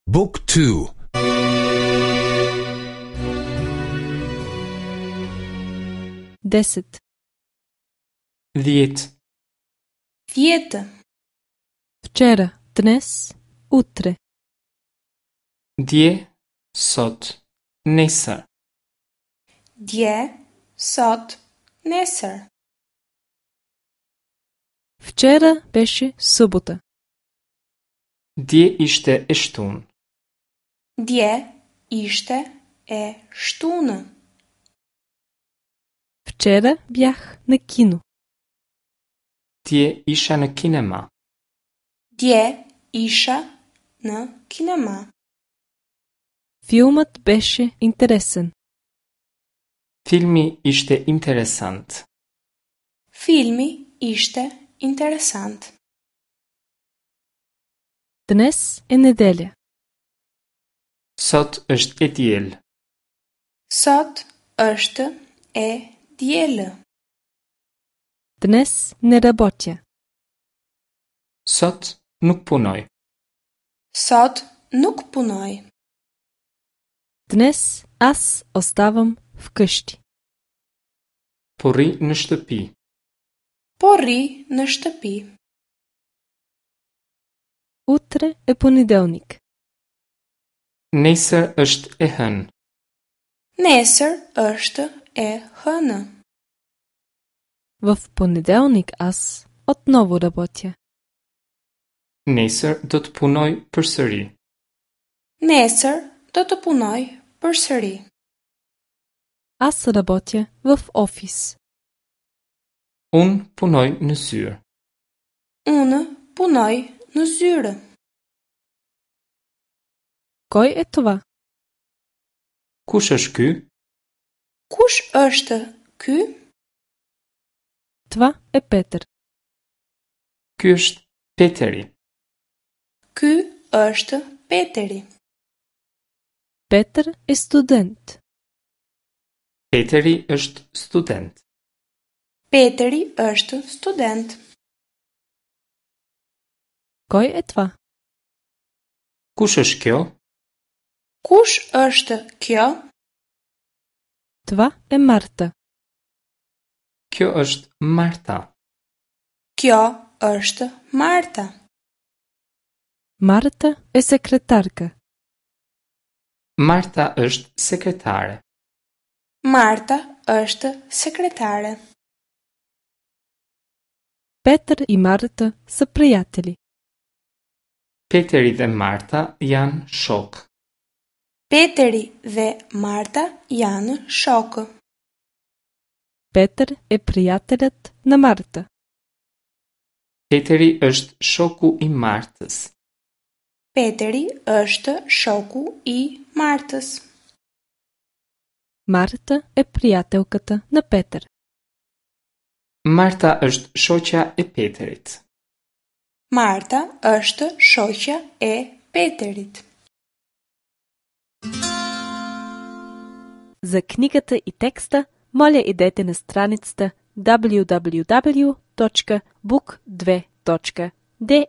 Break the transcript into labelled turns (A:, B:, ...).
A: Book 2
B: 10.
C: 10.
D: 10.
B: Вчера, днес, утре.
C: Dje, sot, nesër.
D: Dje, sot, nesër.
B: Вчера беше събота.
C: Dje ishte e shtunë.
D: Dje ishte e shtunë.
B: Вчера бях на кино.
C: Dje isha në kinema.
D: Dje isha në kinema.
B: Филмът беше интересен.
C: Filmi ishte interesant.
D: Filmi ishte interesant.
B: Днес е неделя.
C: Sot është e diel.
D: Sot është e dielë.
B: Днес не работя.
C: Sot nuk punoj.
D: Sot nuk punoj.
B: Днес аз оставам вкъщи.
C: Po rri në shtëpi.
D: Po rri në shtëpi.
B: Утре е понеделник.
C: Nesër është e hënë.
D: Nesër është e hënë.
B: В понеделник аз отново работя.
C: Nesër do të punoj përsëri.
D: Nesër do të punoj përsëri.
B: Аз работя в офис.
C: Unë punoj në zyrë.
D: Unë punoj në zyrë.
B: Кой е това?
C: Kush është ky?
D: Kush është ky?
B: Това е Петър.
C: Ky është Peteri.
D: Ky është Peteri.
B: Петър е студент.
C: Peteri është student.
D: Peteri është student.
B: Кой е това?
C: Kush është kjo?
D: Kush është kjo?
B: Това е Марта.
C: Kjo është Marta.
D: Kjo është Marta.
B: Марта е секретарка.
C: Marta është sekretare.
D: Marta është sekretare.
B: Петър и Марта са приятели.
C: Peteri dhe Marta janë shok.
D: Peteri dhe Marta janë shokë.
B: Петър е приятелят на Марта.
C: Peteri është shoku i Martës.
D: Peteri është shoku i Martës.
B: Марта е приятелката на Петър.
C: Marta është shoqja e Peterit.
D: Marta është shoqja e Peterit.
B: За книгата и текста, моля идете на страницата www.book2.de.